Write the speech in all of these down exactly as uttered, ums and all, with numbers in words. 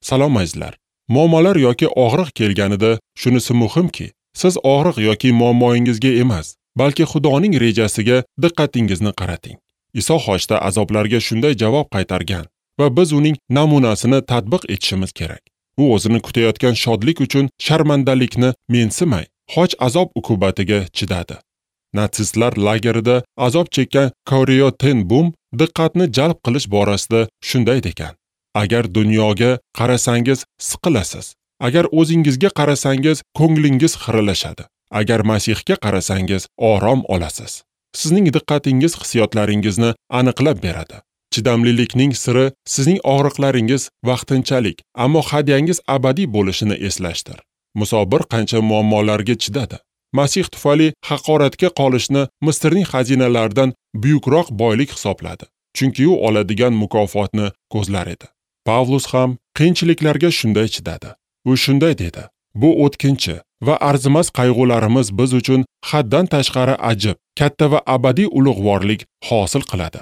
Salom azizlar. Muammolar yoki og'riq kelganida shunisi muhimki, siz og'riq yoki muammoingizga emas, balki Xudoning rejasiga diqqatingizni qarating. Iso xochda azoblarga shunday javob qaytargan va biz uning namunasini tatbiq etishimiz kerak. U o'zini kutayotgan shodlik uchun sharmandalikni mensimay, xoch azob uqubatiga chidadi. Natsistlar lagerida azob chekkan Corrie ten Boom diqqatni jalb qilish borasida shunday degan: agar dunyoga qarasangiz siqilasiz, agar o'zingizga qarasangiz ko'nglingiz xiralashadi, agar Masihga qarasangiz orom olasiz. Sizning diqqatingiz hissiyotlaringizni aniqlab beradi. Chidamlilikning siri sizning og'riqlaringiz vaqtinchalik, ammo hadyangiz abadiy bo'lishini eslashdir. Muso bir qancha muammolarga chidadi. Masih tufayli haqoratga qolishni Misrning xazinalaridan buyukroq boylik hisobladi, chunki u oladigan mukofotni ko'zlar edi. Pavlus ham qiyinchiliklarga shunday chidadi. U shunday dedi: bu o'tkinchi va arzimas qayg'ularimiz biz uchun haddan tashqari ajib, katta va abadiy ulug'vorlik hosil qiladi.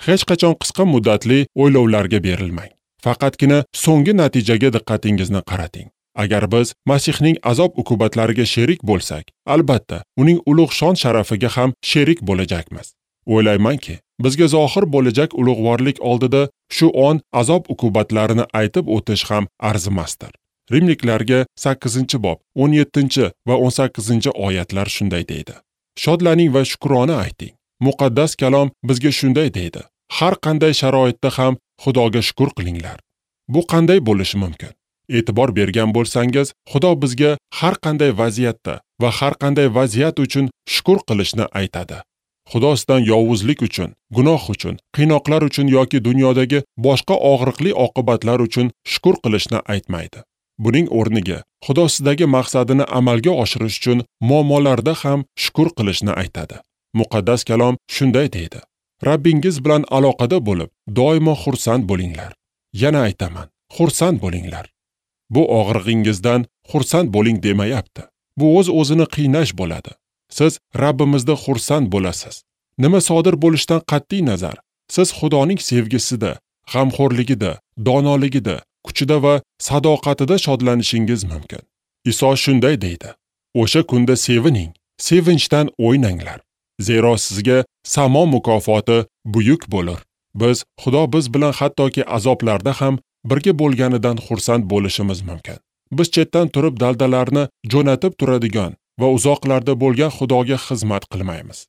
Hech qachon qisqa muddatli o'ylovlarga berilmang. Faqatgina so'nggi natijaga diqqatingizni qarating. Agar biz Masihning azob uqubatlariga sherik bo'lsak, albatta uning ulug' shon sharafiga ham sherik bo'lajakmiz. O'ylaymanki, bizga zohir bo'lajak ulug'vorlik oldida shu on azob uqubatlarini aytib o'tish ham arzimasdir. Rimliklarga sakkizinchi bob o'n yettinchi va o'n sakkizinchi oyatlar shunday deydi: Shodlaning va shukrona ayting. Muqaddas kalom bizga shunday deydi: har qanday sharoitda ham Xudoga shukr qilinglar. Bu qanday bo'lishi mumkin? E'tibor bergan bo'lsangiz, Xudo bizga har qanday vaziyatda va har qanday vaziyat uchun shukr qilishni aytadi. Xudo sizdan yovuzlik uchun, gunoh uchun, qiynoqlar uchun yoki dunyodagi boshqa og'riqli oqibatlar uchun shukr qilishni aytmaydi. Buning o'rniga Xudo sizdagi maqsadini amalga oshirish uchun muammolarda ham shukr qilishni aytadi. Muqaddas kalom shunday deydi: Rabbingiz bilan aloqada bo'lib, doimo xursand bo'linglar. Yana aytaman, xursand bo'linglar. Bu og'rig'ingizdan xursand bo'ling demayapti. Bu o'z-o'zini qiynash bo'ladi. Siz Rabbimizda xursand bo'lasiz. Nima sodir bo'lishidan qat'iy nazar, siz Xudoning sevgisida, g'amxo'rligida, donoligida, kuchida va sadoqatida shodlanishingiz mumkin. Iso shunday deydi: o'sha kunda sevining, sevinchdan o'ynanglar. Zero sizga samo mukofoti buyuk bo'lur. Biz Xudo biz bilan hattoki azoblarda ham birga bo'lganidan xursand bo'lishimiz mumkin. Biz chetdan turib daldalarni jo'natib turadigan va uzoqlarda bo'lgan Xudoga xizmat qilmaymiz.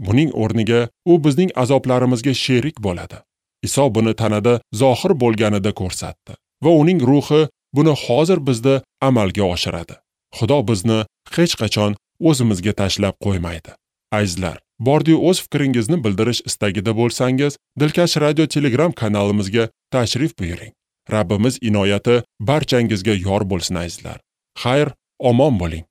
Buning o'rniga u bizning azoblarimizga sherik bo'ladi. Iso buni tanada zohir bo'lganida ko'rsatdi va uning ruhi buni hozir bizda amalga oshiradi. Xudo bizni hech qachon o'zimizga tashlab qo'ymaydi. Azizlar, bordiyu o'z fikringizni bildirish istagida bo'lsangiz, Dilkash Radio Telegram kanalimizga tashrif buyuring. Rabbimiz inoyati barchangizga yor bo'lsin azizlar. Xayr, omon bo'ling.